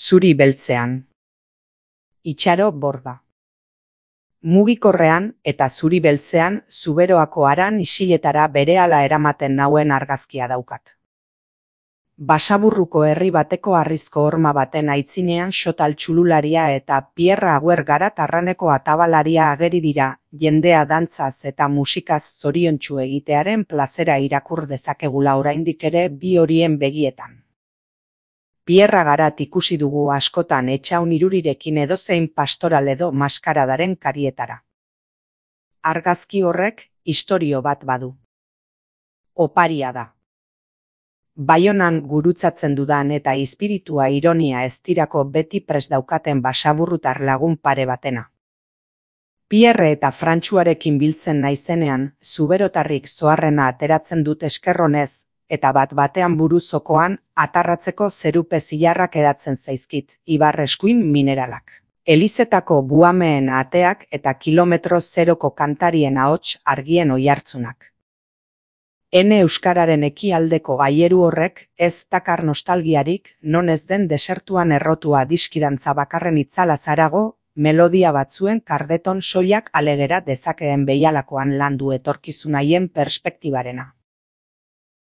Zuri beltzean. Itxaro borda. Mugikorrean eta zuri beltzean Zuberoako haran isiletara berehala eramaten nauen argazkia daukat. Basaburruko herri bateko harrizko horma baten aitzinean Xotal txulularia eta Pierra Agüer Garat arraneko atabalaria ageri dira, jendea dantzaz eta musikaz zoriontsu egitearen plazera irakur dezakegula oraindik ere bi horien begietan. Pierra Garat ikusi dugu askotan etxaun irurirekin edozein pastoral edo maskaradaren karietara. Argazki horrek istorio bat badu. Oparia da. Baionan gurutzatzen dudan eta espiritua ironia eztirako beti prest daukaten basaburrutar lagun pare batena. Pierre eta Frantsuarekin biltzen naizenean, zuberotarrik zoarrena ateratzen dut eskerronez, eta bat-batean buruzokoan atarratzeko zerupe zilarrak edatzen zaizkit, ibar eskuin mineralak. Elizetako buameen ateak eta kilometro zeroko kantarien ahots argien oihartzunak. Ene euskararen ekialdeko gaieru horrek ez dakar nostalgiarik, non ez den desertuan errotua diskidantza bakarren itzala zarago, melodia batzuen kardeton soilak alegera dezakeen behialakoan landu etorkizun haien perspektibarena.